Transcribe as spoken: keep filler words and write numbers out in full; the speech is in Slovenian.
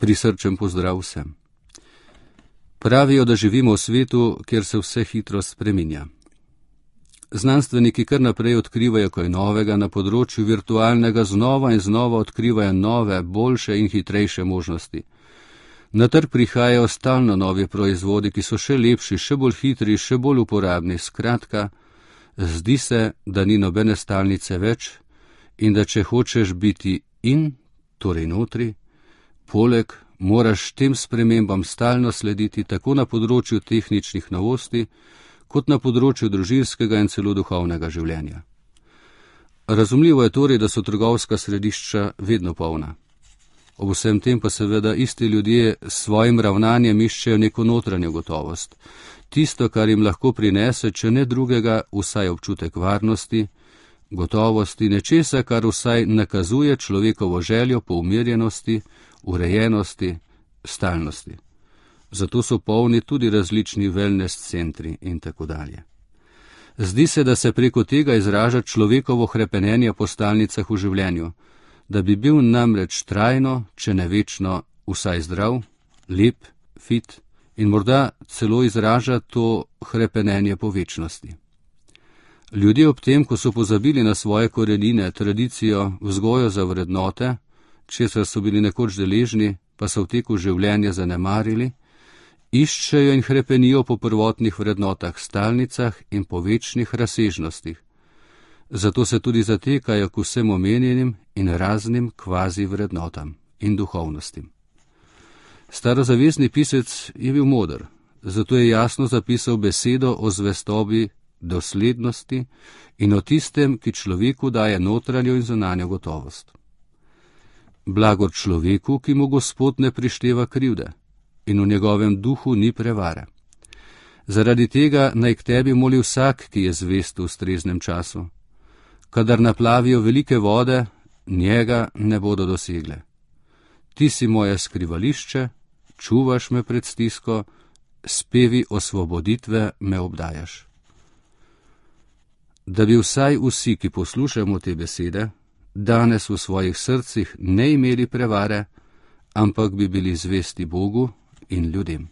Prisrčen pozdrav vsem. Pravijo, da živimo v svetu, kjer se vse hitro spreminja. Znanstveniki kar naprej odkrivajo kaj novega na področju virtualnega, znova in znova odkrivajo nove, boljše in hitrejše možnosti. Na trg prihajajo stalno novi proizvodi, ki so še lepši, še bolj hitri, še bolj uporabni. Skratka, zdi se, da ni nobene stalnice več in da če hočeš biti in, torej notri, poleg moraš tem spremembam stalno slediti tako na področju tehničnih novosti, kot na področju družinskega in celo duhovnega življenja. Razumljivo je torej, da so trgovska središča vedno polna. Ob vsem tem pa seveda isti ljudje s svojim ravnanjem iščejo neko notranjo gotovost. Tisto, kar jim lahko prinese, če ne drugega, vsaj občutek varnosti, gotovosti, nečesa, kar vsaj nakazuje človekovo željo po umirjenosti, urejenosti, stalnosti. Zato so polni tudi različni wellness centri in tako dalje. Zdi se, da se preko tega izraža človekovo hrepenenje po stalnicah v življenju, da bi bil namreč trajno, če ne večno, vsaj zdrav, lep, fit in morda celo izraža to hrepenenje po večnosti. Ljudje ob tem, ko so pozabili na svoje korenine, tradicijo, vzgojo za vrednote, česar so bili nekoč deležni, pa so v teku življenja zanemarili, iščejo in hrepenijo po prvotnih vrednotah, stalnicah in po večnih razsežnostih. Zato se tudi zatekajo k vsem omenjenim in raznim kvazi vrednotam in duhovnostim. Starozavezni pisec je bil moder, zato je jasno zapisal besedo o zvestobi, doslednosti in o tistem, ki človeku daje notranjo in zunanjo gotovost. Blagor človeku, ki mu Gospod ne prišteva krivde in v njegovem duhu ni prevare. Zaradi tega naj k tebi moli vsak, ki je zvest v ustreznem času. Kadar naplavijo velike vode, njega ne bodo dosegle. Ti si moje skrivališče, čuvaš me pred stisko, spevi osvoboditve me obdajaš. Da bi vsaj vsi, ki poslušamo te besede, danes v svojih srcih ne imeli prevare, ampak bi bili zvesti Bogu in ljudem.